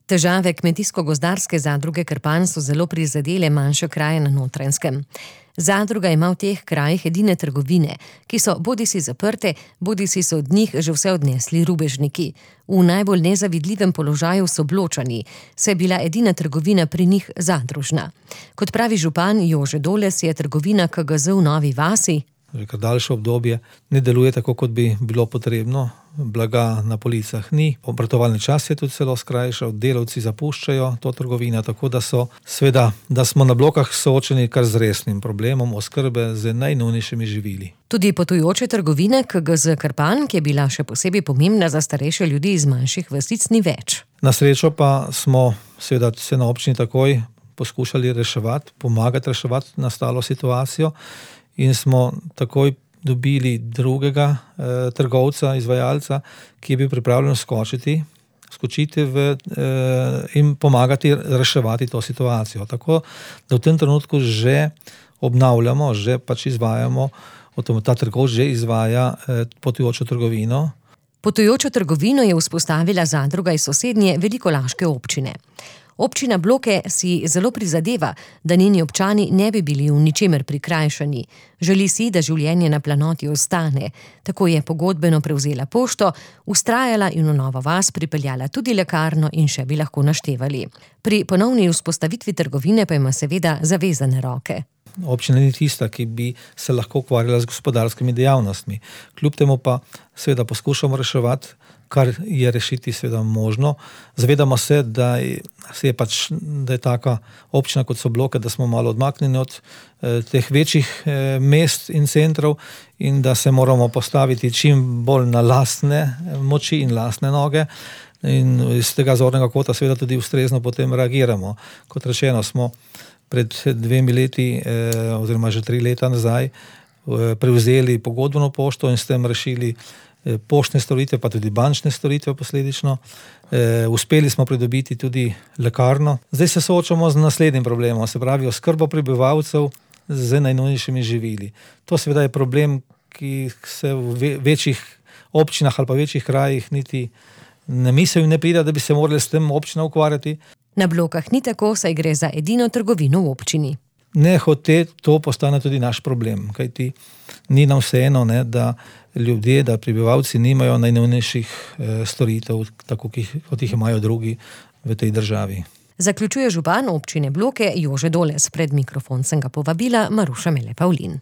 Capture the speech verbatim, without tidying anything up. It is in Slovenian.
Težave Kmetijsko-gozdarske zadruge Krpan so zelo prizadele manjše kraje na Notranjskem. Zadruga ima v teh krajih edine trgovine, ki so bodisi zaprte, bodisi so od njih že vse odnesli rubežniki. V najbolj nezavidljivem položaju so Bločani, saj je bila edina trgovina pri njih zadružna. Kot pravi župan Jože Doles, je trgovina K G Z v Novi vasi že kar daljše obdobje ne deluje tako, kot bi bilo potrebno. Blaga na policah ni, obratovalni čas je tudi celo skrajšal, delavci zapuščajo to trgovino, tako da so sveda, da smo na Blokah soočeni kar z resnim problemom oskrbe z najnujnejšimi živili. Tudi potujoče trgovine K G Z Krpan, ki je bila še posebej pomembna za starejše ljudi iz manjših vasic, ni več. Na srečo pa smo seveda se na občini takoj poskušali reševati, pomagati reševati nastalo situacijo in smo takoj dobili drugega eh, trgovca, izvajalca, ki je bil pripravljen skočiti, skočiti v, eh, in pomagati reševati to situacijo. Tako da v tem trenutku že obnavljamo, že pač izvajamo, ta trgovec že izvaja eh, potujočo trgovino. Potujočo trgovino je vzpostavila zadruga iz sosednje Velikolaške občine. Občina Bloke si zelo prizadeva, da njeni občani ne bi bili v ničemer prikrajšani. Želi si, da življenje na planoti ostane. Tako je pogodbeno prevzela pošto, vztrajala in v Novo vas pripeljala tudi lekarno in še bi lahko naštevali. Pri ponovni vzpostavitvi trgovine pa ima seveda zavezane roke. Občina ni tista, ki bi se lahko ukvarjala z gospodarskimi dejavnostmi. Kljub temu pa seveda poskušamo reševati, kar je rešiti seveda možno. Zavedamo se, da je, se je pač, da je taka občina, kot so Bloke, da smo malo odmaknjeni od eh, teh večjih eh, mest in centrov in da se moramo postaviti čim bolj na lastne moči in lastne noge. In iz tega zornega kota seveda tudi ustrezno potem reagiramo. Kot rečeno, smo pred dvemi leti eh, oziroma že tri leta nazaj eh, prevzeli pogodbeno pošto in s tem rešili poštne storitve, pa tudi bančne storitve posledično. E, uspeli smo pridobiti tudi lekarno. Zdaj se soočamo z naslednjim problemom, se pravi oskrbo prebivalcev z najnujnejšimi živili. To seveda je problem, ki se v večjih občinah ali pa večjih krajih niti ne misli in ne pride, da bi se morali s tem občina ukvarjati. Na Blokah ni tako, saj gre za edino trgovino v občini. Ne hote, to postane tudi naš problem, kajti ni nam vseeno, ne, da ljudje, da prebivalci nimajo najnujnejših eh, storitev, tako kot jih imajo drugi v tej državi. Zaključuje župan občine Bloke Jože Doles. Pred mikrofon sem ga povabila Maruša Mele Pavlin.